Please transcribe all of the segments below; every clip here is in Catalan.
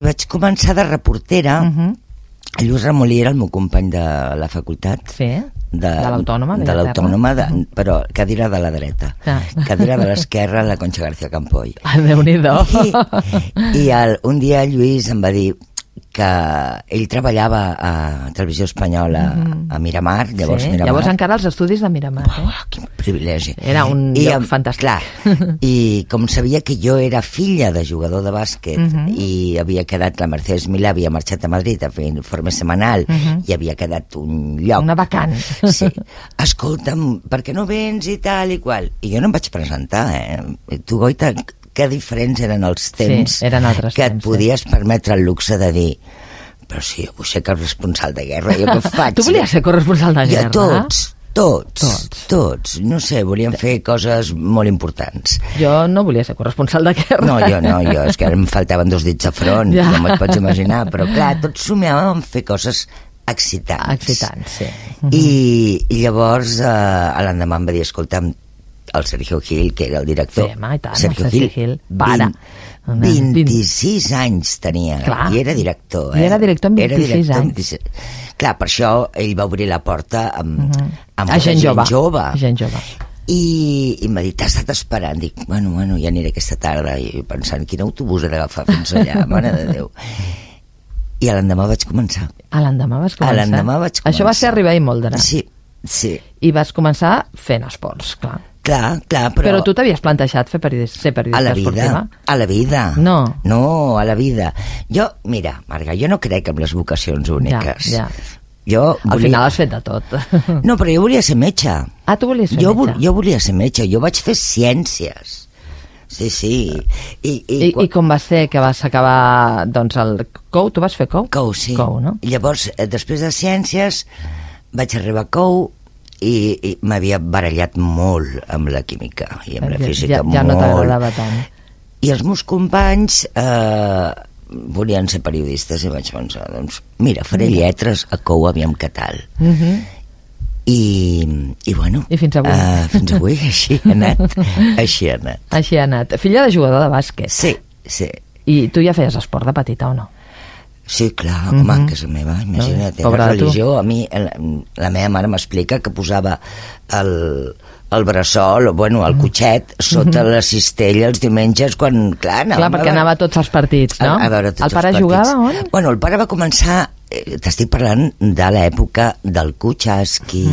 Vaig començar de reportera. Lluís Remolí era el meu company de la facultat. Sí, de l'Autònoma. De l'Autònoma, però cadira de la dreta. Cadira de l'esquerra, la Concha García Campoy. Déu-n'hi-do. I un dia Lluís em va dir que ell treballava a Televisió Espanyola a Miramar, llavors Miramar. Llavors encara els estudis de Miramar. Quin privilegi. Era un lloc fantàstic. Clar, i com sabia que jo era filla de jugador de bàsquet i havia quedat, la Mercedes Milà havia marxat a Madrid a fer informe setmanal i havia quedat un lloc. Una vacant. Sí. Escolta'm, per què no vens i tal i qual? I jo no em vaig presentar, Tu, Goita, que diferents eren els temps que et podies permetre el luxe de dir però si jo vull ser corresponsal de guerra, jo què faig? Tu volies ser corresponsal de guerra? Tots. No sé, volíem fer coses molt importants. Jo no volia ser corresponsal de guerra. No, jo, és que em faltaven 2 dits a front, ja m'ho pots imaginar, però clar, tots somiàvem fer coses excitants. Excitants, sí. I llavors l'endemà em va dir, escolta'm, el Sergio Gil, que era el director. Sí, i tant, Sergio Gil. Para. 26 anys tenia. Clar. I era director. I era director amb 26 anys. Clar, per això ell va obrir la porta amb gent jove. I m'ha dit, t'has estat esperant? Dic, bueno, ja aniré aquesta tarda. I pensant, quin autobús he d'agafar fins allà, mare de Déu. I a l'endemà vaig començar. A l'endemà vas començar? Això va ser arribar a Imoldre. Sí. I vas començar fent esports, clar. Clar, però tu t'havies plantejat ser periodista esportiva? A la vida. No, a la vida. Jo, mira, Marga, jo no crec en les vocacions úniques. Ja. Al final has fet de tot. No, però jo volia ser metge. Ah, tu volies ser metge? Jo volia ser metge, jo vaig fer ciències. Sí. I com va ser que vas acabar, doncs, el COU? Tu vas fer COU? COU, sí. COU, no? Llavors, després de ciències, vaig arribar a COU i m'havia barallat molt amb la química i amb la física, molt. Ja no t'agradava tant. I els meus companys volien ser periodistes i vaig pensar, doncs mira, faré lletres a COU, aviam què tal. I bueno, i fins avui. Fins avui així ha anat. Filla de jugador de bàsquet. Sí. I tu ja feies esport de petita o no? Sí, clar, home, a casa meva, imagina't, la religió. A mi, la meva mare m'explica que posava el bressol, el cotxet, sota la cistella els diumenges quan, clar, anava... Clar, perquè anava a tots els partits, no? A veure tots els partits. El pare jugava on? Bueno, el pare va començar, t'estic parlant de l'època del Kucharski,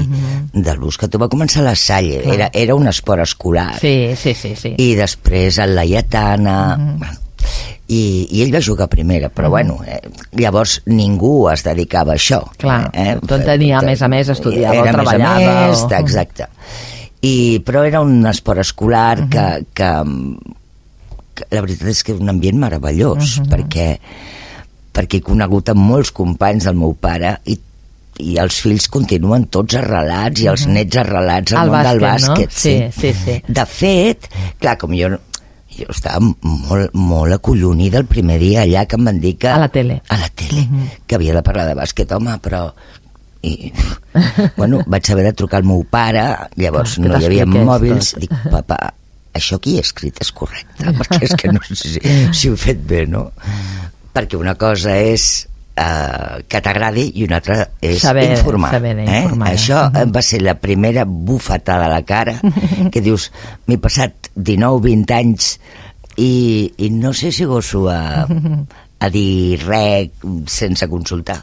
de l'ús que tu va començar a la Salle, era un esport escolar. Sí. I després el Laietana... I ell va jugar a primera, però llavors ningú es dedicava a això. Clar, tot tenia, a més, estudiava o treballava. Exacte. Però era un esport escolar que la veritat és que és un ambient meravellós, perquè he conegut amb molts companys del meu pare i els fills continuen tots arrelats i els nets arrelats al món del bàsquet. Sí. De fet, clar, com jo estava molt acollonida el primer dia allà que em van dir que... A la tele. Que havia de parlar de bàsquet, home, però... vaig haver de trucar al meu pare, llavors no hi havia mòbils, dic, papa, això que hi he escrit és correcte, perquè és que no sé si ho he fet bé, no? Perquè una cosa és que t'agradi i una altra és informar. Això va ser la primera bufetada a la cara que dius, m'he passat 19-20 anys i no sé si goso a dir res sense consultar.